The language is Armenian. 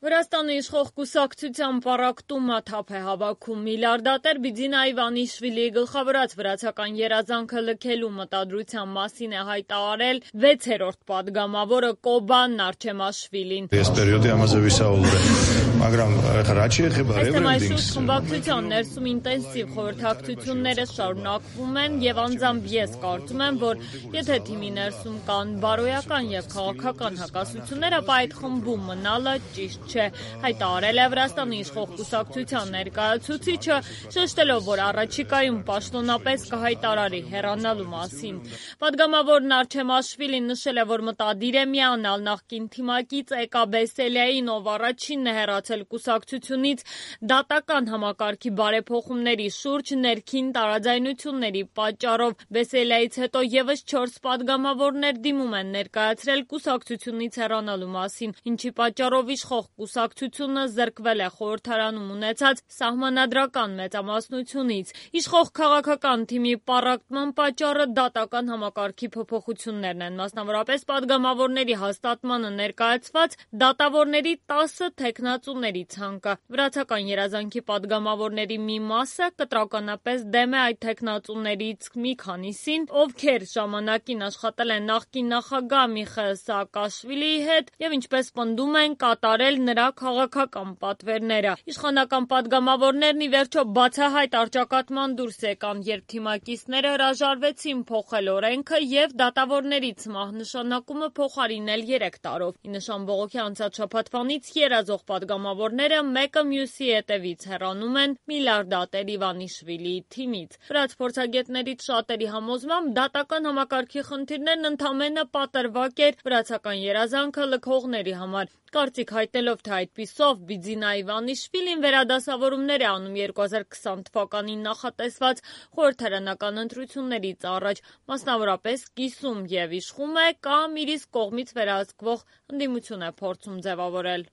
Վրաստանի իշխող կուսակցության պառակտումը թափ է հավաքում։ Միլիարդատեր Բիձինա Իվանիշվիլիի գլխավորած վրացական երազանքը լքելու մտադրության մասին է հայտարարել 6-րդ падգամավորը Կոբան Նարչեմաշվիլին։ Այս թեմայի շուրջ խմբակցության ներսում ինտենսիվ խորհրդակցությունները շարունակվում են եւ անձամբ ես կարծում եմ, որ եթե թիմի ներսում կան բարոյական եւ քաղաքական հակասություններ, ապա այդ խմբում մնալը ճիշտ չէ, հայտարարել է Վրաստանի իշխող կուսակցության ներկայացուցիչը, շեշտելով, որ առաջիկայում պաշտոնապես կհայտարարի հեռանալու մասին։ Падգամավոր Նարչեմաշվիլին նշել է, որ մտադիր է միանալ նախկին թիմակից Էկա Բեսելիային, ով առաջինն է հեռացել կուսակցությունից դատական համակարգի բարեփոխումների շուրջ ներքին տարաձայնությունների պատճառով։ Բեսելիայից հետո եւս 4 падգամավորներ դիմում են ներկայացրել կուսակցությունից հեռանալու մասին, ինչի պատճառով իշխող կուսակցությունը զրկվել է խորհրդարանում ունեցած սահմանադրական մեծամասնությունից։ Իշխող քաղաքական թիմի պառակտման պատճառը դատական համակարգի փոփոխություններն են, մասնավորապես падգամավորների հաստատմանը ներկայացված դատավորների 10 թեկնածուների ցանկը։ Վրացական երազանքի падգամավորների մի մասը կտրականապես դեմ է այդ թեկնածուներից մի քանիսին, ովքեր ժամանակին աշխատել են նախկին նախագահ Միխայիլ Սաակաշվիլիի հետ եւ ինչպես պնդում են կատարել նրա քաղաքական պատվերները։ Իշխանական падգամավորներն ի վերջո բացահայտ առճակատման դուրս եկան, երբ թիմակիցները հրաժարվեցին փոխել օրենքը եւ դատավորների ցմահ նշանակումը փոխարինել 3 տարով։ Ի նշան բողոքի անցած շաբաթվանից երազող падգամավորները մեկը մյուսի հետևից հեռանում են միլիարդատեր Իվանիշվիլիի թիմից։ Վրաց փորձագետներից շատերի համոզմամբ դատական համակարգի խնդիրներն ընդամենը պատրվակ էր վրացական երազանքը լքողների համար։ Կարծիք հայտնելով, թե այդպիսով Բիձինա Իվանիշվիլին վերադասավորումներ է անում 2020 թվականին նախատեսված խորհրդարանական ընտրություններից առաջ, մասնավորապես կիսում եւ իշխում է կամ իր իսկ կողմից վերահսկվող ընդդիմություն է փորձում ձևավորել։